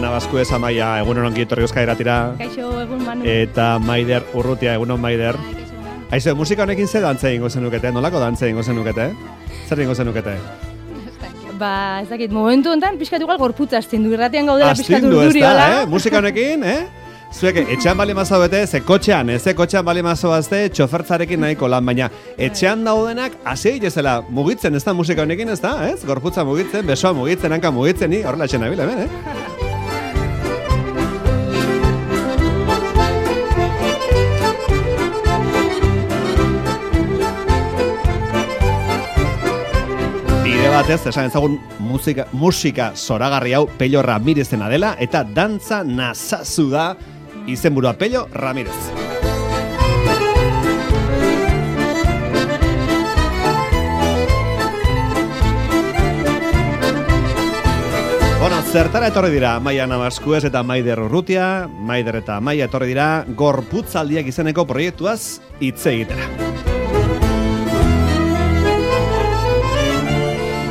Nabaskuez, Amaia, egunon ongi etorri Euskadi Irratira. Kaixo, egun Manu. Eta Maider Urrutia, egunon Maider. Aizu, musika honekin ze dantza egingo zenukete? Nolako dantza egingo zenukete? Zer egingo zenukete? Ba, ez dakit, momentu honetan pixkat igual gorputza astindu. Irratian gaudela pixkat Astindu ez urduri, da, hola? Musika honekin, Zuek, etxean bali mazaudete, ze kotxean bali mazaudazte, txofertzarekin nahiko lan, baina etxean daudenak, hasi egitezela mugitzen, ez da musika honekin, ez da, ez? Gorputza mugitzen, besoa mugitzen, hanka mugitzen, ni horrela etxen nabil, hemen, Bide batez, esan ezagun musika zoragarri hau Pello Ramirezena dela, eta dantza nazazu da izenburua Pello Ramirez. Bueno, zertara etorri dira Amaia Nabaskuez eta Maider Urrutia, Maider eta Amaia etorri dira Gorputzaldiak izeneko proiektuaz hitz egitera.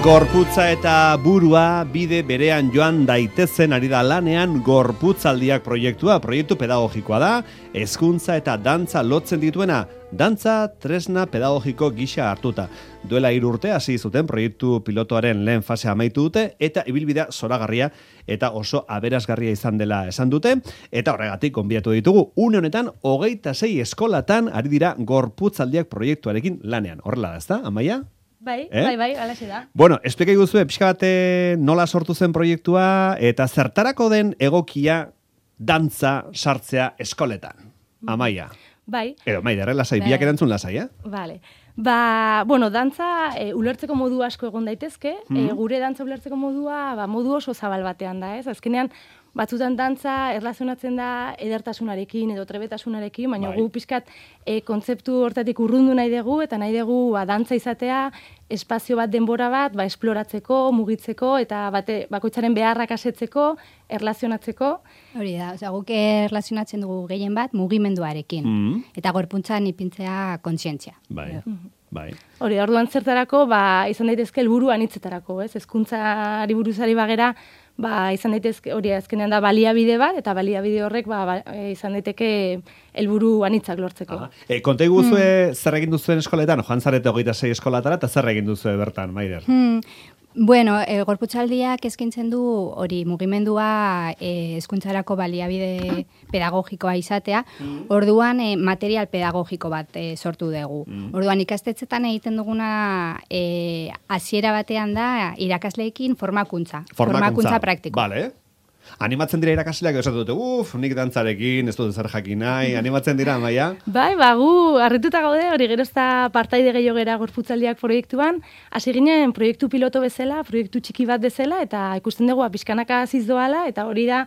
Gorputza eta burua bide berean joan daitezen ari da lanean Gorputzaldiak proiektua, proiektu pedagogikoa da, hezkuntza eta dantza lotzen dituena, dantza tresna pedagogiko gisa hartuta. Duela 3 urte hasi zuten proiektu pilotoaren lehen fasea amaitu dute eta ibilbidea zoragarria eta oso aberasgarria izan dela esan dute eta horregatik gonbidatu ditugu. Une honetan 26 eskolatan ari dira Gorputzaldiak proiektuarekin lanean. Horrela da, ezta, Amaia? Bai, alaxe da. Bueno, esplika iguzue, pixka bate nola sortu zen proiektua eta zertarako den egokia dantza sartzea eskoletan. Amaia. Bai. Edo, Maider, lasai, biak erantzun lasai, Vale. Ba, bueno, dantza ulertzeko modu asko egon daitezke, gure dantza ulertzeko modua, modu oso zabal batean da, ez? Azkenean, batzutan dantza erlazionatzen da edertasunarekin edo trebetasunarekin, baina gu pixkat kontzeptu hortatik urrundu nahi dugu, eta nahi dugu dantza izatea espazio bat, denbora bat, esploratzeko, mugitzeko, eta bakoitzaren beharrak asetzeko, erlazionatzeko. Hori da, guk erlazionatzen dugu gehien bat mugimenduarekin, eta gorpuntzan ipintzea kontzientzia. Bai. Hori, orduan zertarako, izan daitezke helburu anitzetarako, ez? Hezkuntzari buruzari bagera, izan daitezke, hori azkenean da baliabide bat, eta baliabide horrek izan daiteke helburu anitzak lortzeko. Konta iguzue zer egin duzuen eskoletan, joan zarete 26 eskolatara, eta zer egin duzue bertan, Maider? Bueno, Gorputzaldiak eskaintzen du hori mugimendua hezkuntzarako baliabide pedagogikoa izatea, orduan material pedagogiko bat sortu dugu. Orduan ikastetxetan egiten duguna hasiera batean da irakasleekin formakuntza praktiko. Vale. Animatzen dira irakasleak esatu dute, nik dantzarekin, ez dut zer jakin nahi, animatzen dira, Amaia? Bai, gu harrituta gaude, hori gero ez da partaide gehiago gera Gorputzaldiak proiektuan, hasi ginen proiektu piloto bezala, proiektu txiki bat bezala, eta ikusten dugu pixkanaka aziz doala, eta hori da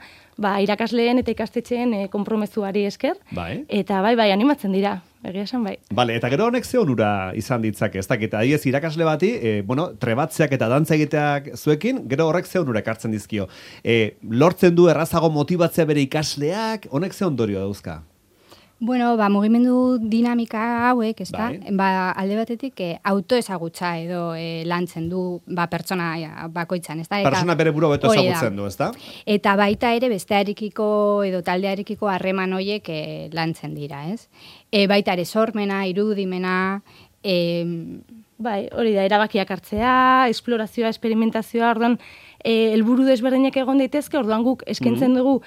irakasleen eta ikastetxeen konpromezuari esker, eta bai, animatzen dira. Egia esan bai. Bale, eta gero honek ze onura izan ditzake, ez dakit, adiez irakasle bati, trebatzeak eta dantza egiteak zuekin, gero horrek ze onura ekartzen dizkio. Lortzen du errazago motibatzea bere ikasleak, honek ze ondorio dauzka? Bueno, mugimendu dinamika hauek, ez da? Alde batetik autoezagutza edo lantzen du pertsona bakoitzan, ez da? Persona bere buru beto ezagutzen du, ez da? Eta baita ere bestearekiko edo taldearekiko harreman horiek lantzen dira, ez? Baita ere sormena, irudimena... Bai, hori da, erabakiak hartzea, esplorazioa, esperimentazioa, orduan, helburu desberdinak egon daitezke, orduan guk eskaintzen dugu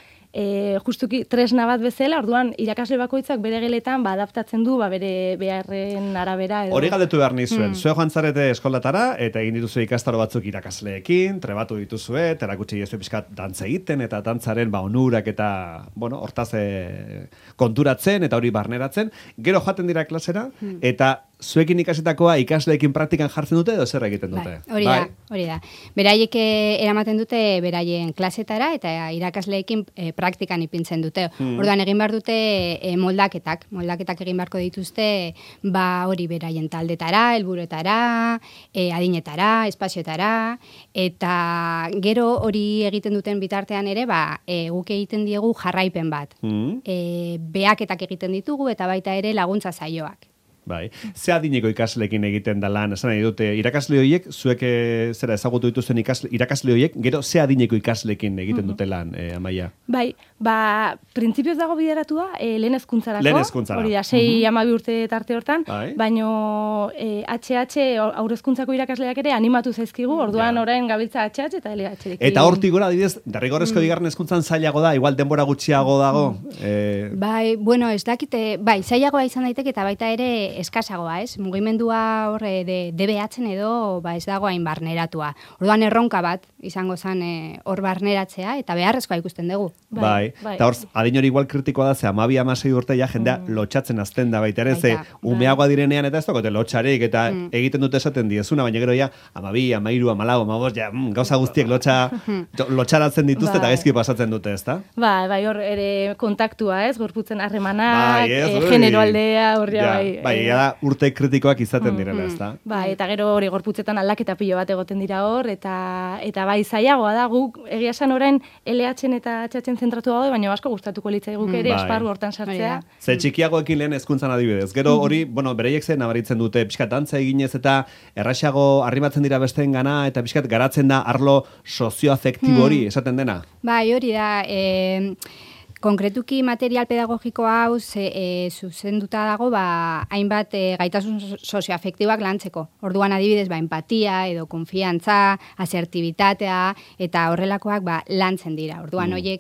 justuki tresna bat bezala, orduan irakasle bakoitzak bere geletan adaptatzen du bere beharren arabera. Hori galdetu behar nizuen, zue joan zarete eskolatara eta egin dituzue ikastaro batzuk irakasleekin, trebatu dituzue, erakutsi dizue pixkat dantza egiten eta dantzaren onurak eta hortaz konturatzen eta hori barneratzen, gero joaten dira klasera eta zuekin ikasitakoa ikasleekin praktikan jartzen dute edo zer egiten dute? Hori da. Beraiek eramaten dute beraien klasetara eta irakasleekin praktikan ipintzen dute. Orduan egin behar dute moldaketak egin beharko dituzte hori beraien taldetara, helburuetara, adinetara, espazioetara, eta gero hori egiten duten bitartean ere guk egiten diegu jarraipen bat. Behaketak egiten ditugu eta baita ere laguntza saioak. Bai. Ze adineko ikasleekin egiten da lan, esan nahi dute, irakasle horiek, zuek zera ezagutu dituzten irakasle horiek, gero ze adineko ikasleekin egiten dute lan, Amaia? Bai, printzipioz dago bideratua, lehen hezkuntzarako. Lehen hezkuntzara. Hori da, 6-12 urte tarte hortan, Bai. baino aurrezkuntzako irakasleak ere animatu zaizkigu, orduan orain gabiltza HH eta LH. Eta hortik gora, adibidez, derrigorrezko bigarren hezkuntzan zailago da, igual denbora gutxiago dago. Bai, bueno, ez dakite, bai, zailagoa izan daiteke eta baita ere eskasagoa, ez? Mugimendua horre DBH-en edo ez dago hain barneratua. Orduan erronka bat izango zen hor barneratzea eta beharrezkoa ikusten dugu. Bai. Eta hor, adin hori igual kritikoa da, ze 12-16 urte ja jendea lotxatzen azten da baita ere, ze umeagoa direnean eta ez dagote lotxarik eta egiten dute esaten diezuna, baina gero ja 12, 13, 14, 15, ja gauza guztiek lotxaratzen dituzte eta gaizki pasatzen dute, ezta? Bai, hor ere kontaktua, ez? Gorputzen harremanak, genero aldea, horria bai. Da urte kritikoak izaten direla, ezta? Bai, eta gero hori gorputzetan aldaketa pilo bat egoten dira hor, eta bai zailagoa da, guk egia esan orain LH-en eta HH-en zentratu gaude, baina asko gustatuko litzai guk ere esparru hortan sartzea. Ze txikiagoekin lehen hezkuntzan adibidez. Gero hori, bereiek zen nabaritzen dute, pixkat dantza eginez eta erraxago arrimatzen dira besteen gana, eta pixkat garatzen da arlo sozioafektibo hori, esaten dena? Bai, hori da, konkretuki material pedagogiko hau zuzenduta dago hainbat gaitasun sozioafektiboak lantzeko. Orduan adibidez empatia edo konfiantza, asertibitatea eta horrelakoak lantzen dira. Orduan horiek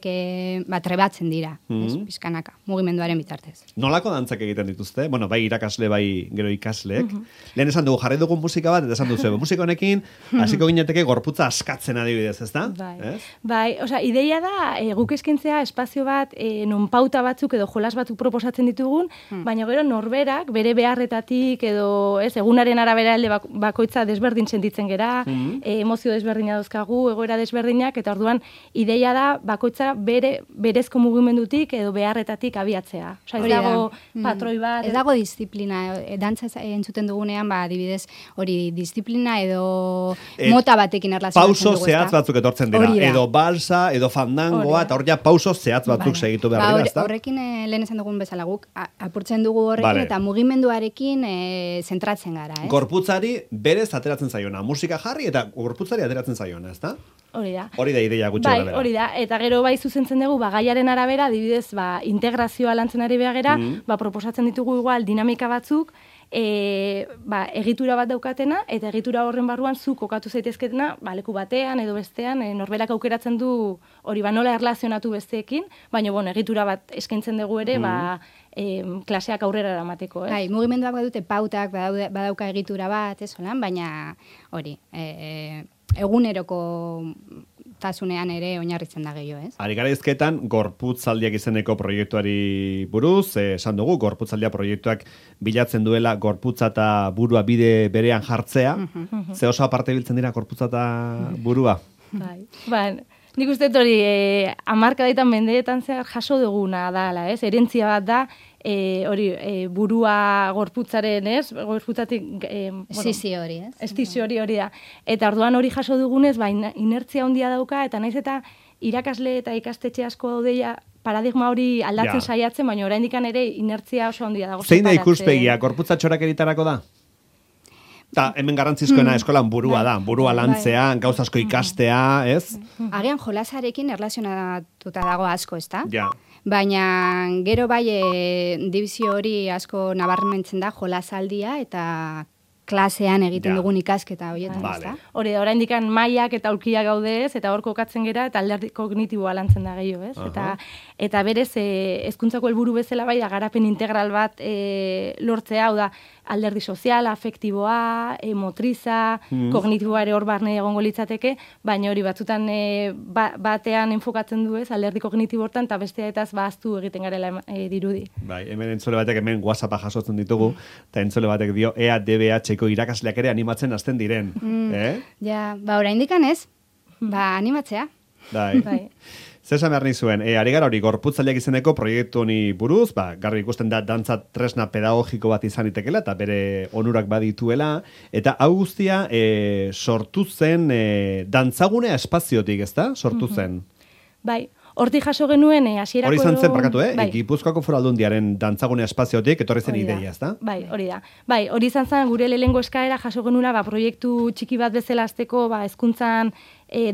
trebatzen dira, pizkanaka, mugimenduaren bitartez. Nolako dantzak egiten dituzte? Bueno, bai irakasle, bai gero ikasleek. Lehen esan dugu jarri dugun musika bat, eta esan duzu, musika honekin hasiko gineteke gorputza askatzen adibidez, ezta? Bai, ideia da guk eskintzea espazio bat non pauta batzuk edo jolas batzuk proposatzen ditugun, baina gero norberak bere beharretatik edo egunaren arabera alde bakoitza desberdin sentitzen gera, emozio desberdina dauzkagu, egoera desberdinak, eta orduan ideia da bakoitza berezko mugimendutik edo beharretatik abiatzea. Ez dago patroi bat. Ez dago disiplina, dantza entzuten dugunean, adibidez, hori disiplina edo mota batekin erlazionatzen dugu. Pauso zehatz batzuk etortzen dira, edo balsa, edo fandangoa, eta hor ja pauso zehatz batzuk segitu behar dira, ezta? Horrekin lehen esan dugun bezala guk apurtzen dugu horrekin eta mugimenduarekin zentratzen gara, ez? Gorputzari berez ateratzen zaiona, musika jarri eta gorputzari ateratzen zaiona, ezta? Hori da. Hori da ideia gutxi gara. Hori da, eta gero zuzentzen dugu, gaiaren arabera, adibidez, integrazioa lantzen ari behagera, proposatzen ditugu igual dinamika batzuk, egitura bat daukatena, eta egitura horren barruan zu kokatu zaitezketena, leku batean edo bestean, norberak aukeratzen du hori nola erlazionatu besteekin, baina egitura bat eskaintzen dugu ere, klaseak aurrera eramateko. Bai, mugimenduak badute pautak, badauka egitura bat, baina hori, eguneroko tasunean ere oinarritzen da gehiago, ez? Ari gara izketan, gorputzaldiak izeneko proiektuari buruz, esan dugu, gorputzaldia proiektuak bilatzen duela gorputza eta burua bide berean jartzea. Ze oso aparte biltzen dira gorputza eta burua? Bai, nik uste hori hamarkadaitan mendeetan zehar jaso duguna dala, ez? Herentzia bat da, burua gorputzaren, ez? Gorputzatik... Estizio hori, ez? Estizio hori da. Eta orduan hori jaso dugunez, inertzia handia dauka, eta naiz eta irakasle eta ikastetxe asko daudeia paradigma hori aldatzen saiatzen, baina oraindik ere inertzia oso handia dago. Zein da ikuspegia, gorputza txorakeritarako da? Eta hemen garrantzizkoena eskolan burua da, burua lantzea, gauzasko ikastea, ez? Agian jolasarekin erlazionatuta dago asko, ez da? Ja. Baina gero dibizio hori asko nabarmentzen da jolasaldia eta klasean egiten dugun ikasketa horietan, ezta? Hori da, oraindik mailak eta aulkiak gaude, ez? Eta hor kokatzen gera eta alderdi kognitiboa lantzen da gehiago, ez? Eta berez hezkuntzako helburu bezala garapen integral bat lortzea, hau da, alderdi sozial, afektiboa, motriza, kognitiboa ere hor barne egongo litzateke, baina hori batzutan batean enfokatzen du, ez? Alderdi kognitibo hortan eta bestea etaz ahaztu egiten garela dirudi. Bai, hemen entzule batek hemen WhatsAppa jasotzen ditugu, eta entzule batek dio DBH irakasleak ere animatzen hasten diren. Ja, oraindikan ez, animatzea. Bai. Zesan behar nizuen, ari gara hori gorputzaileak izeneko proiektu honi buruz, garbi ikusten da dantza tresna pedagogiko bat izan itekela, eta bere onurak badituela, eta hau guztia sortu zen dantzagunea espaziotik, ezta? Sortu zen. Bai, hortik jaso genuen hasierako... Hori izan zen, barkatu, bai. Gipuzkoako Foru Aldundiaren dantzagune espaziotik etorri zen Hori da. ideia, ezta? Bai, hori da. Bai, hori izan zen gure lehengo eskaera jaso genuna proiektu txiki bat bezala azteko, hezkuntzan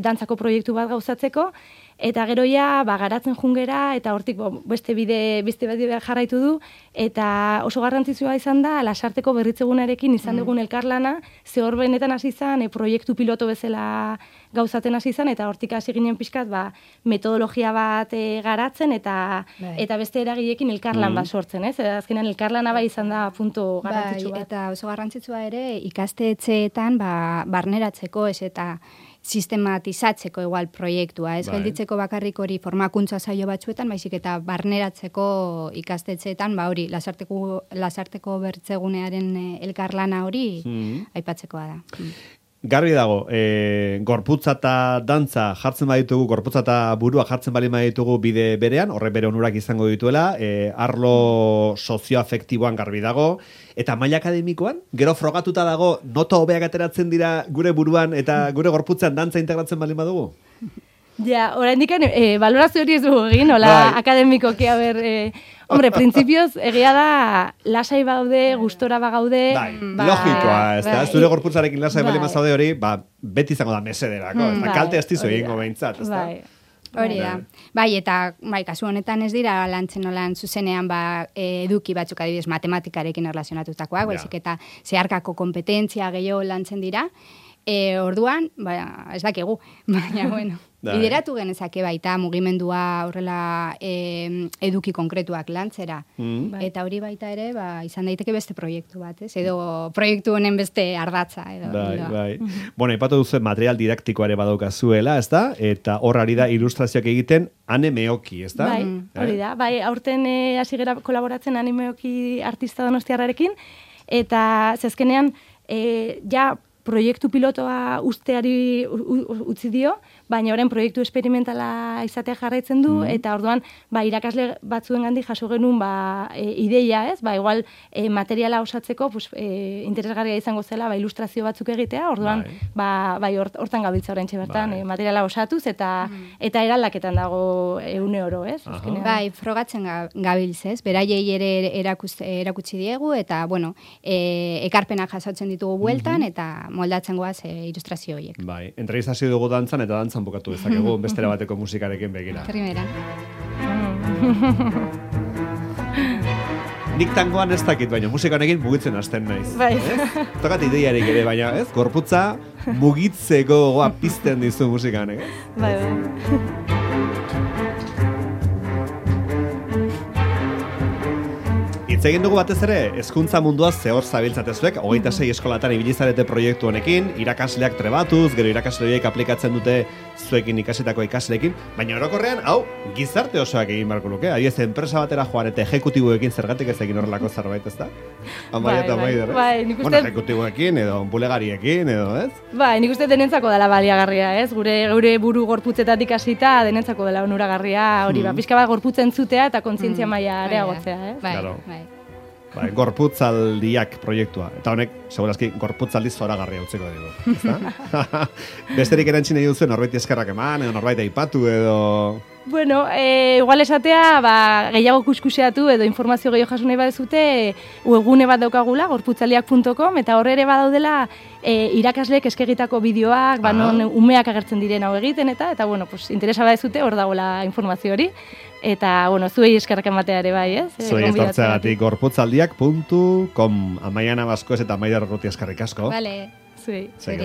dantzako proiektu bat gauzatzeko, eta gero ja, garatzen jungera, eta hortik beste bide jarraitu du, eta oso garrantzitsua izan da, Lasarteko berritzegunarekin izan dugun elkarlana, ze hor benetan hasi izan, proiektu piloto bezala gauzaten hasi izan, eta hortik hasi ginen pixkat, metodologia bat garatzen, eta beste eragileekin elkarlan bat sortzen, ez? Azkenean elkarlana izan da puntu garrantzitsu bat. Eta oso garrantzitsua ere, ikastetxeetan barneratzeko, ez eta sistematizatzeko igual proiektua, ez gelditzeko bakarrik hori formakuntza saio batzuetan, baizik eta barneratzeko ikastetxeetan, hori Lasarteko bertzegunearen elkarlana hori aipatzekoa da. Garbi dago, gorputza eta dantza jartzen baditugu, gorputza eta burua jartzen bali baditugu bide berean, horre bere onurak izango dituela, arlo sozioafektiboan garbi dago, eta maila akademikoan, gero frogatuta dago, nota hobeak ateratzen dira gure buruan eta gure gorputzan dantza integratzen bali badugu? Ja, oraindik balorazio hori ez dugu egin, hola akademikoki, hombre, printzipioz, egia da, lasai baude, gustora bagaude... Logikoa, ez da, zure gorputzarekin lasai bali mazaude hori, beti izango da mesederako, kalte ez dizu egingo behintzat, ez da? Hori da. Eta kasu honetan ez dira lantzen olan zuzenean eduki batzuk adibidez matematikarekin erlazionatutakoak, baizik eta zeharkako kompetentzia gehiago lantzen dira. Orduan, ez dakigu, baina, bueno, bideratu genezake baita mugimendua horrela eduki konkretuak lantzera. Eta hori baita ere, izan daiteke beste proiektu bat, ez? Edo proiektu honen beste ardatza. Bai. Bueno, ipatu duzu material didaktikoa ere badaukazuela, ez da? Eta hor ari da ilustrazioak egiten Ane Meoki, ez da? Bai, hori da. Bai, aurten hasi gara kolaboratzen Ane Meoki artista donostiarrarekin, eta zezkenean, proiektu pilotoa usteari utzi dio, baina orain proiektu esperimentala izatea jarraitzen du, eta orduan irakasle batzuen gandik jaso genuen ideia, ez? Igual materiala osatzeko interesgarria izango zela ilustrazio batzuk egitea, orduan hortan gabiltza oraintxe bertan materiala osatuz eta eraldaketan dago une oro, ez? Frogatzen gabiltz, ez? Beraiei ere erakutsi diegu, eta, bueno, ekarpenak jasotzen ditugu bueltan, eta moldatzen goaz ilustrazio horiek. Entrevistazio dugu dantzan, eta dantzan bukatu dezakegu bestera bateko musikarekin begira. Primera. Nik tangoan ez dakit, baina musikarekin mugitzen hasten naiz. Tokat ideiarik ere, baina ez? Gorputza mugitzeko goa pizten dizu musikanek, ez? Bai. Hitz egin dugu batez ere, hezkuntza mundua zehor zabiltzatezuek, 26 eskolatan ibilizarete proiektu honekin, irakasleak trebatuz, gero irakasleak aplikatzen dute zuekin ikasitako ikasleekin, baina orokorrean, gizarte osoak egin barko luke, adiez, enpresa batera joan eta ejekutiboekin zergatik ez egin horrelako zerbait, ez da? Bueno, ejekutiboekin, edo bulegariekin, edo, ez? Nik uste denentzako dela baliagarria, ez? Gure buru gorputzetatik hasita denentzako dela onuragarria, hori, pixka bat gorputzen zutea eta kontzientzia maila areagotzea, ez? Gorputzaldiak proiektua. Eta honek, segurazki, gorputzaldi zoragarria utzeko dugu. Besterik erantzine duzu, norbaiti eskerrak eman, edo norbaiti aipatu, edo... Bueno, igual esatea, gehiago kuskuseatu edo informazio gehiago jasu nahi badezute, webgune bat daukagula, gorputzaldiak.com, eta horre ere badaudela irakasleek eskegitako bideoak, non umeak agertzen diren hau egiten, eta bueno, interesa badezute, hor dagoela informazio hori. Eta, bueno, zuei eskerrak ematea ere bai, ez? Zuei etortzeagatik gorputzaldiak.com Amaiana Baskoez eta Maider Urrutia eskerrik asko. Vale. Zuei. Zuei.